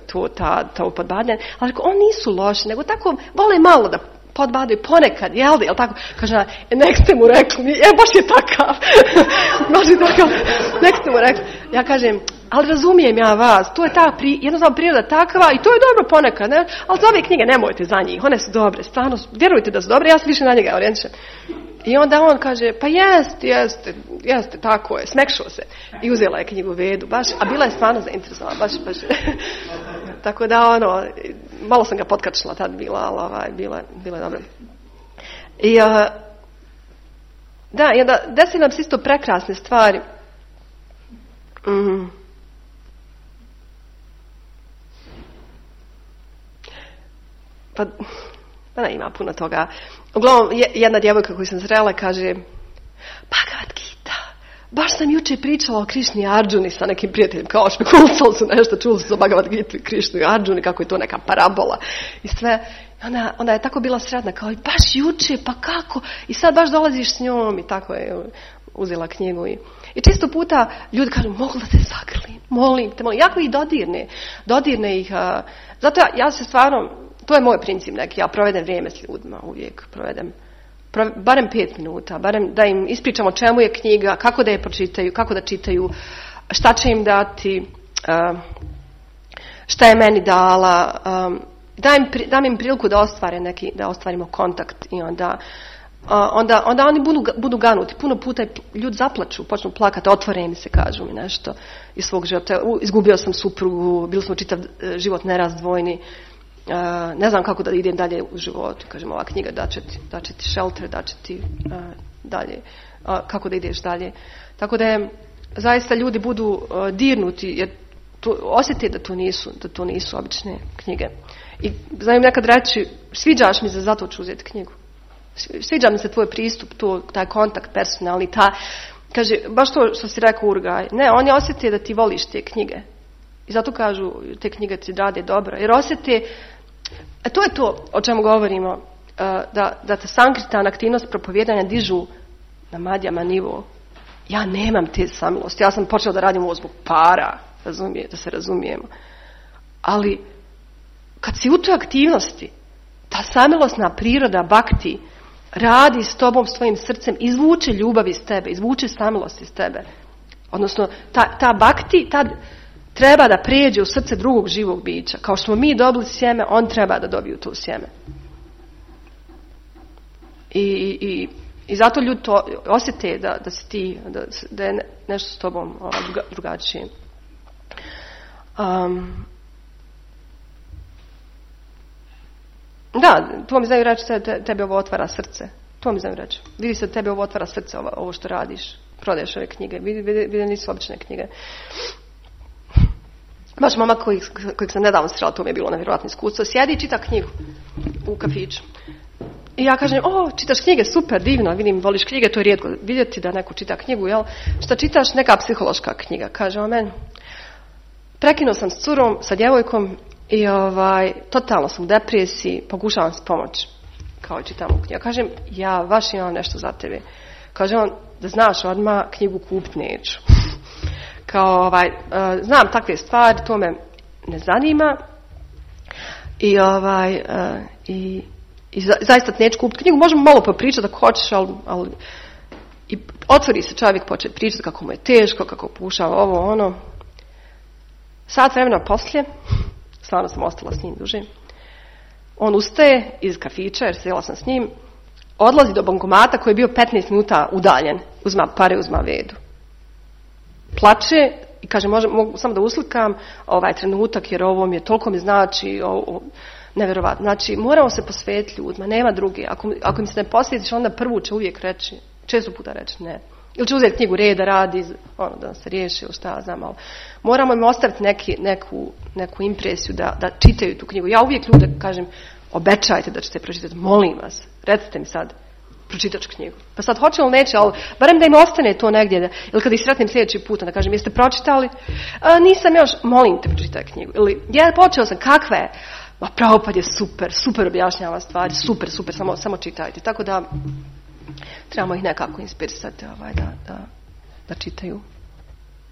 S1: to podbadanje. Ali rekao, oni nisu loši, nego tako vole malo da podbadaju ponekad, jel tako? Kaže, nek ste mu rekli, baš je takav. Nek ste mu rekli. Ja kažem, ali razumijem ja vas, to je jednostavno priroda takva i to je dobro ponekad, ne? Ali za ove knjige nemojte za njih, one su dobre, stvarno, vjerujte da su dobre, ja sam više na njega orijentišem. I onda on kaže, pa jeste, tako je, smekšao se. I uzela je knjigu Vedu, baš, a bila je stvarno zainteresovana, baš. Tako da, malo sam ga potkačila tad bila, ali bila je dobro. I onda desi nam se isto prekrasne stvari. Pa ima puno toga. Uglavnom, jedna djevojka koju sam srela kaže, Bhagavad Gita, baš sam juče pričala o Krišni i Arđuni sa nekim prijateljem, kao špekulisali su nešto, čuli su za Bhagavad Gita i Krišnu i Arđuni, kako je to neka parabola i sve. Onda je tako bila sretna, kao i baš juče, pa kako? I sad baš dolaziš s njom i tako je uzela knjigu. I često puta ljudi kažu, mogu da te zagrlim, molim te, jako ih dodirne ih. Zato ja se stvarno, to je moj princip neki, ja provedem vrijeme s ljudima, uvijek provedem. Barem 5 minuta, barem da im ispričam o čemu je knjiga, kako da je pročitaju, kako da čitaju, šta će im dati, šta je meni dala, dam im priliku da ostvarimo kontakt i onda oni budu ganuti. Puno puta ljudi zaplaču, počnu plakati, otvore mi se, kažu mi nešto iz svog života. Izgubio sam suprugu, bili smo čitav život nerazdvojni, ne znam kako da idem dalje u životu. Kažem, ova knjiga daće ti shelter, daće ti dalje, kako da ideš dalje. Tako da zaista ljudi budu dirnuti, jer osjeti da to nisu obične knjige. I znam nekad reći, sviđaš mi se, zato ću uzeti knjigu. Sviđa mi se tvoj pristup, taj kontakt personalni, kaže, baš to što si rekao, Urgaj. Ne, oni osjete da ti voliš te knjige. I zato kažu, te knjige ti rade dobro. Jer osjete, to je to o čemu govorimo, da te Sankrtan, aktivnost propovijedanja dižu na madjama nivo. Ja nemam te samilosti. Ja sam počela da radim ovo zbog para, da se razumijemo. Ali, kad si u toj aktivnosti, ta samilosna priroda bhakti radi s tobom, s tvojim srcem, izvuče ljubav iz tebe, izvuče samilost iz tebe. Odnosno, ta bhakti treba da prijeđe u srce drugog živog bića. Kao što smo mi dobili sjeme, on treba da dobiju to sjeme. I zato ljudi to osjete da si ti, da je nešto s tobom drugačije. Da, to mi znaju reći, tebi ovo otvara srce. To mi znaju reći. Vidi se da tebi ovo otvara srce, ovo što radiš. Prodaješ ove knjige. Vidi nisu obične knjige. Baš momak kojeg sam nedavno srela, to mi je bilo nevjerojatno iskustvo. Sjedi i čita knjigu u kafiću. I ja kažem, čitaš knjige, super, divno, vidim, voliš knjige, to je rijetko vidjeti da neko čita knjigu, jel? Šta čitaš? Neka psihološka knjiga. Kaže on meni, prekinuo sam s curom, sa djevojkom i totalno sam u depresiji, pokušavam se pomoći. Kao čitam u knjigu. Kažem, ja baš imam nešto za tebe. Kaže on, da znaš odmah, knjigu kupiti neću. Kao znam takve stvari, to me ne zanima. I zaista neću kupiti knjigu, možemo malo popričati ako hoćeš, ali i otvori se čovjek, počne pričati kako mu je teško, kako pokušava ovo, ono. Sat vremena poslije, stvarno sam ostala s njim duže, on ustaje iz kafića, jer sjela sam s njim, odlazi do bankomata koji je bio 15 minuta udaljen, uzma pare, uzma vedu. Plače i kaže, mogu samo da uslikam ovaj trenutak, jer ovo mi je, toliko mi znači, nevjerovatno. Znači, moramo se posvetiti ljudima, nema druge. Ako im se ne posvetiš, onda prvu će uvijek reći, često puta reći ne. Ili će uzeti knjigu reda, radi, da se riješi, ili šta znam, ali moramo im ostaviti neku impresiju da čitaju tu knjigu. Ja uvijek ljude kažem, obećajte da ćete pročitati, molim vas, recite mi sad, pročitat ću knjigu. Pa sad hoće li neće, ali barem da im ostane to negdje, ili kad ih sretnem sljedeći put, da kažem, jeste pročitali? Nisam još, molim te, pročitaj knjigu. Ili, ja počeo sam, kakva je? Ma Prabhupada je super objašnjava stvari, super, samo čitajte. Tako da trebamo ih nekako inspirisati da čitaju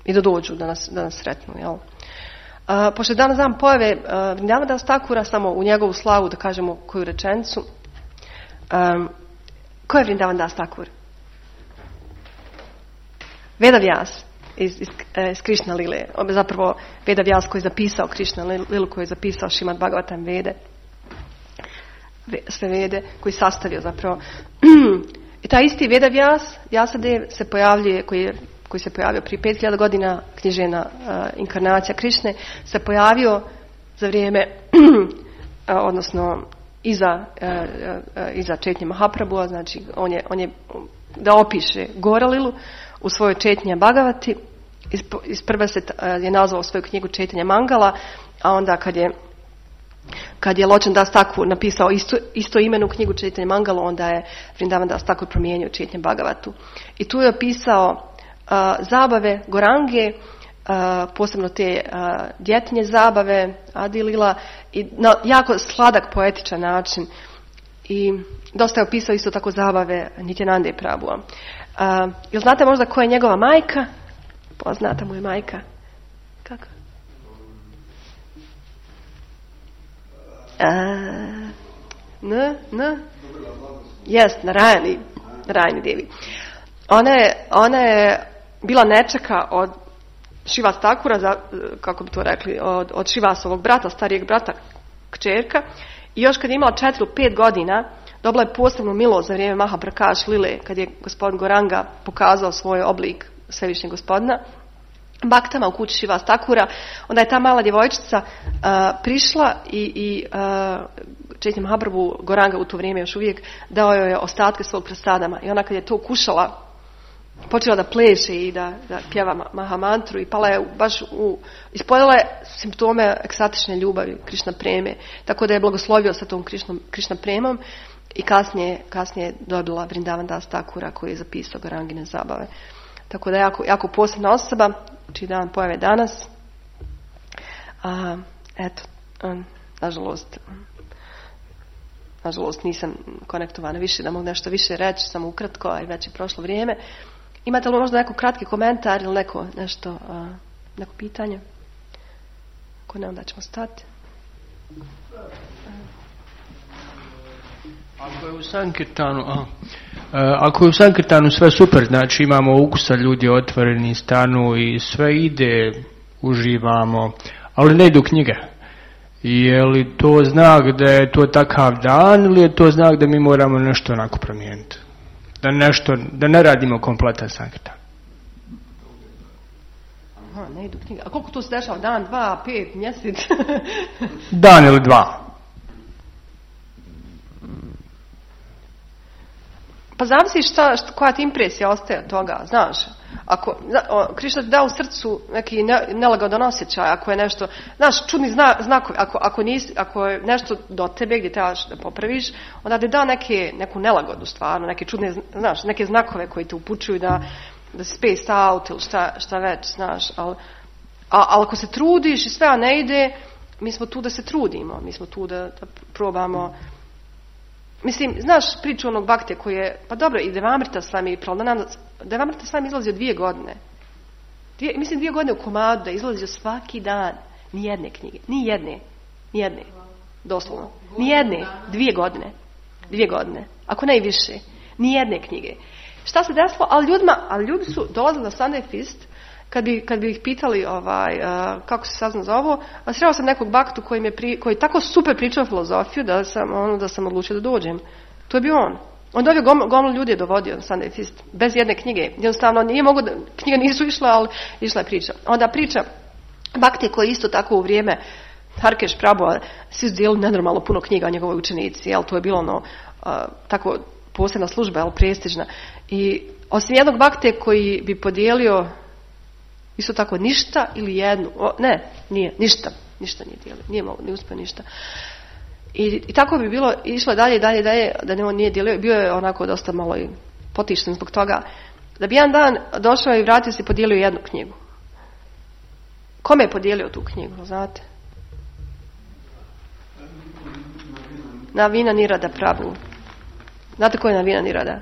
S1: i da dođu, da nas sretnu. Jel? Pošto je danas dan pojave Vrindavana Das Thakura, samo u njegovu slavu da kažemo koju rečenicu. Ko je Vrindavana Das Thakur? Veda Vyas iz Krishna Lile. Zapravo Veda Vyas koji je zapisao Krishna Lilu, koji je zapisao Šrimad Bhagavatam Vede. Sve Vede, koji je sastavio zapravo. I taj isti Veda Vyasadev se pojavljuje, koji se pojavio prije 5000 godina, knjižena inkarnacija Krišne, se pojavio za vrijeme, odnosno iza Četnje Mahaprabhua, znači on je da opiše Goralilu u svojoj Četnja Bhagavati. Isprva je nazvao svoju knjigu Četnja Mangala, a onda kad je Ločan Das Thakur napisao isto imenu knjigu Četnja Mangala, onda je Vrindavana Das Thakur promijenio Četnja Bhagavatu. I tu je opisao zabave Gorange, posebno te djetinje zabave Adi Lila, i na jako sladak poetičan način. I dosta je opisao isto tako zabave Nityanande Prabhua. Jel znate možda ko je njegova majka? Poznata mu je majka. Kako? Jest, Narayani Devi. Ona je bila nečaka od Šivas Thakura, kako bi to rekli, od Šivasovog brata, starijeg brata, kćerka. I još kad je imala 4 ili 5 godina, dobila je posebnu milost za vrijeme Mahaprakash Lile, kad je gospodin Goranga pokazao svoj oblik svevišnjeg gospodina Baktama u kući Šivas Thakura. Onda je ta mala djevojčica prišla i Četnja Mahaprabhu, Goranga u to vrijeme još uvijek, dao joj je ostatke svog prasadama. I ona kad je to kušala, počela da pleše i da pjeva Mahamantru i pala je baš ispoljala je simptome ekstatične ljubavi, Krišna preme. Tako da je blagoslovio sa tom Krišna premom i kasnije dobila Vrindavana Das Thakura koji je zapisao Gorangine zabave. Tako da je jako posebna osoba, čiji dan pojave danas. Nažalost nisam konektovana više da mogu nešto više reći, samo ukratko, a već je prošlo vrijeme. Imate li možda neko kratki komentar ili neko pitanje? Ako ne, onda ćemo stati.
S3: Ako je u Sankirtanu sve super, znači imamo ukusa, ljudi otvoreni, stanu i sve ide, uživamo, ali ne idu knjige. Je li to znak da je to takav dan ili je to znak da mi moramo nešto onako promijeniti? Da ne radimo kompletan Sankirtan.
S1: Aha, ne idu knjige. A koliko to se dešava? Dan, 2, 5, mjesec?
S3: Dan ili 2.
S1: Pa zavisi koja ti impresija ostaje od toga, znaš. Ako Krišna ti da u srcu neki nelagodan osjećaj, ako je nešto, znaš, čudni znakovi, ako je nešto do tebe gdje trebaš da popraviš, onda ti da neku nelagodu stvarno, neke čudne, znaš, neke znakove koji te upućuju da si spaced out ili šta već, znaš. Ali ako se trudiš i sve ne ide, mi smo tu da se trudimo, mi smo tu da probamo. Mislim, znaš priču onog Bhakte koji je, pa dobro, i Devamrita Swami Pralananda, Devamrita Swami izlazio 2 godine. Mislim 2 godine u komadu da je izlazio svaki dan. Nijedne knjige. Nijedne. Doslovno. Nijedne. 2 godine. 2 godine. Ako ne i više. Nijedne knjige. Šta se desilo? Ali ljudi su dolazili na Sunday Feast, kad bi ih pitali kako se sazna za ovo, a sreo sam nekog Bhaktu koji tako super pričao filozofiju da sam odlučio da dođem. To je bio on. On dovio gomilu ljudi je dovodio na Sunday Feast bez jedne knjige. Jednostavno nije mogo da, knjige nisu išle, ali išla je priča. Onda priča Bhakti koji isto tako u vrijeme Harkeš Prabhu, svi su dijelili nenormalno puno knjiga o njegovoj učenici, jel, to je bilo tako posebna služba, jel, prestižna. I osim jednog Bhakte koji bi podijelio isto tako ništa ili jednu. Ništa nije dijelio. Nije uspio ništa. I tako bi bilo, išlo dalje, da ne on nije dijelio. Bio je onako dosta malo i potišten zbog toga. Da bi jedan dan došao i vratio se i podijelio jednu knjigu. Kome je podijelio tu knjigu, znate? Navina Nirada Prabhu. Znate ko je Navina Nirada?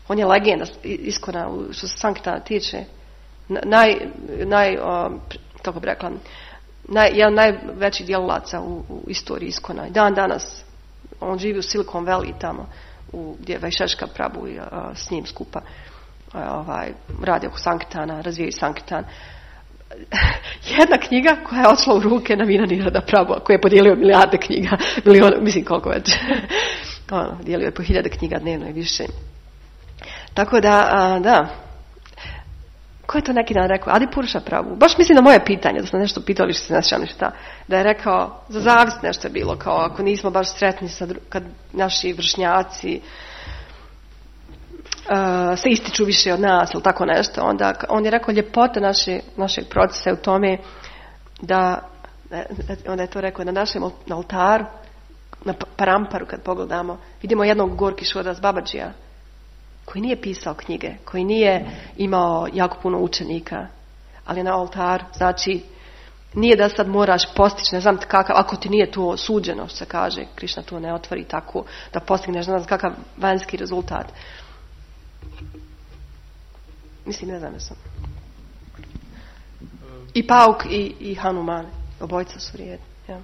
S1: On je legenda iskona što se Sankirtana tiče. Kako bi rekla, jedan najvećih djelalaca u istoriji iskona. I dan danas on živi u Silicon Valley tamo gdje je Vaisheshka Prabhu i s njim skupa radi oko Sankirtana, razvijaju Sankirtan. Jedna knjiga koja je odšla u ruke Navina Nirada Prabhu, koji je podijelio milijarde knjiga, mislim koliko već. Dijelio je po 1000 knjiga dnevno i više. Tako da. Ko je to neki dan rekao? Adipurša Prabhu. Baš mislim na moje pitanje, da smo nešto pitali što se ne sjećam ništa. Da je rekao, za zavist nešto je bilo, kao ako nismo baš sretni kad naši vršnjaci se ističu više od nas ili tako nešto. Onda on je rekao, ljepota našeg procesa je u tome onda je to rekao, na našem oltaru, na Paramparu kad pogledamo, vidimo jednog Gorki Šodas Babađija, koji nije pisao knjige, koji nije imao jako puno učenika, ali na oltar, znači, nije da sad moraš postići, ne znam kakav, ako ti nije to suđeno, što se kaže, Krišna to ne otvori tako, da postigneš, ne znam kakav vanjski rezultat. Mislim, ne znam da sam. I Pauk i Hanuman, obojica su vrijedni. Ja.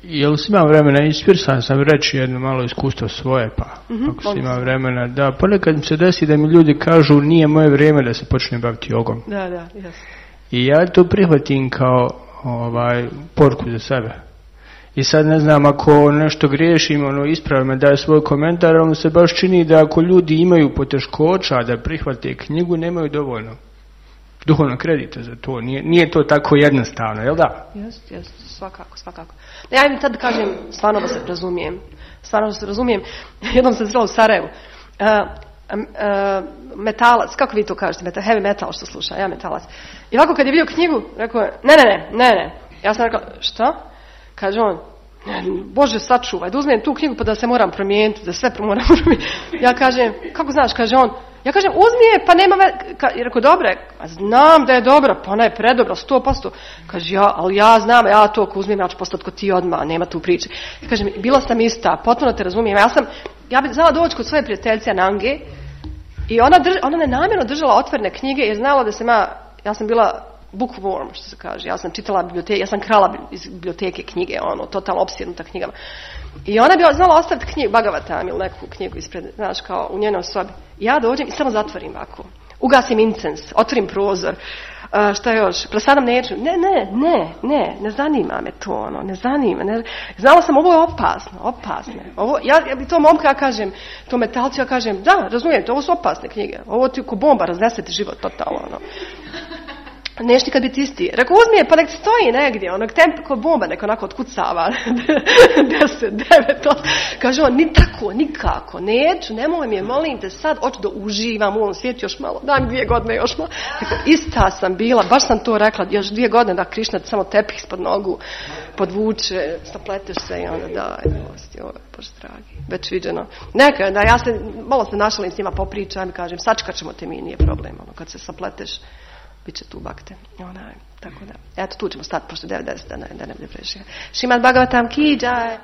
S3: Jel si imao vremena, inspirisan sam reći jedno malo iskustvo svoje, pa ako si imao vremena, da ponekad mi se desi da mi ljudi kažu nije moje vrijeme da se počne baviti jogom.
S1: Da, jes.
S3: I ja to prihvatim kao poruku za sebe. I sad ne znam, ako nešto griješim, ispravi me, daje svoj komentar, ali se baš čini da ako ljudi imaju poteškoća da prihvate knjigu, nemaju dovoljno duhovno kredita za to. Nije to tako jednostavno, jel da?
S1: Jest, svakako. Ja im tad kažem, stvarno da se razumijem. Jednom sam srela u Sarajevu. Metalac, kako vi to kažete? Heavy metal što sluša, ja metalac. I ovako kad je vidio knjigu, rekao je, ne. Ja sam rekla, što? Kaže on, Bože sačuvaj, da uzmem tu knjigu pa da se moram promijeniti, da sve moram promijeniti. Ja kažem, kako znaš, kaže on, ja kažem, uzmi je, pa nema je rekao, dobra je, znam da je dobra, pa ona je predobra, 100%. Kaže, ali ja znam, ja to ako uzmem, ja ću postati kod ti odmah, nema tu priče. Ja kažem, bila sam ista, potpuno te razumijem, ja bih znala doći kod svoje prijateljice Nange i ona nenamjerno držala otvorene knjige jer znala da ja sam bila bookworm, što se kaže, ja sam čitala biblioteke, ja sam krala iz biblioteke knjige, totalno opsjednuta knjigama. I ona bi znala ostaviti knjigu, Bhagavatam ili neku knjigu ispred, znaš, kao u njenoj sobi. Ja dođem i samo zatvorim ovako. Ugasim incens, otvorim prozor, šta još, presadam neću. Ne zanima me to, ne zanima. Znala sam, ovo je opasno. Ja bi to momka, ja kažem, to metalcu, ja kažem, da, razumijete, ovo su opasne knjige. Ovo ti ko bomba raznese ti život totalno, Neš nikad biti isti. Rekao, uzmi je, pa nek stoji negdje, onog tempa ko bomba, nek onako otkucava. 10, 9, 8. Kaže on, ni tako, nikako, neću, nemoj mi je, molim te sad, hoću da uživam u ovom svijetu još malo, daj mi 2 godine još malo. Rekao, ista sam bila, baš sam to rekla, još 2 godine da Krišna samo tepih ispod nogu podvuče, sapleteš se i onda daj, milosti, ovo je, Bože dragi, već viđeno. Neka, da ja se, malo se našalim s njima popričam i kažem, sačekat ćemo te mi, nije problem, ono, kad se sapleteš, bit će tu bakte. Tako da. Eto, tu ćemo stati, pošto 9:10 da ne bude previše. Šrimad Bhagavatam ki jai.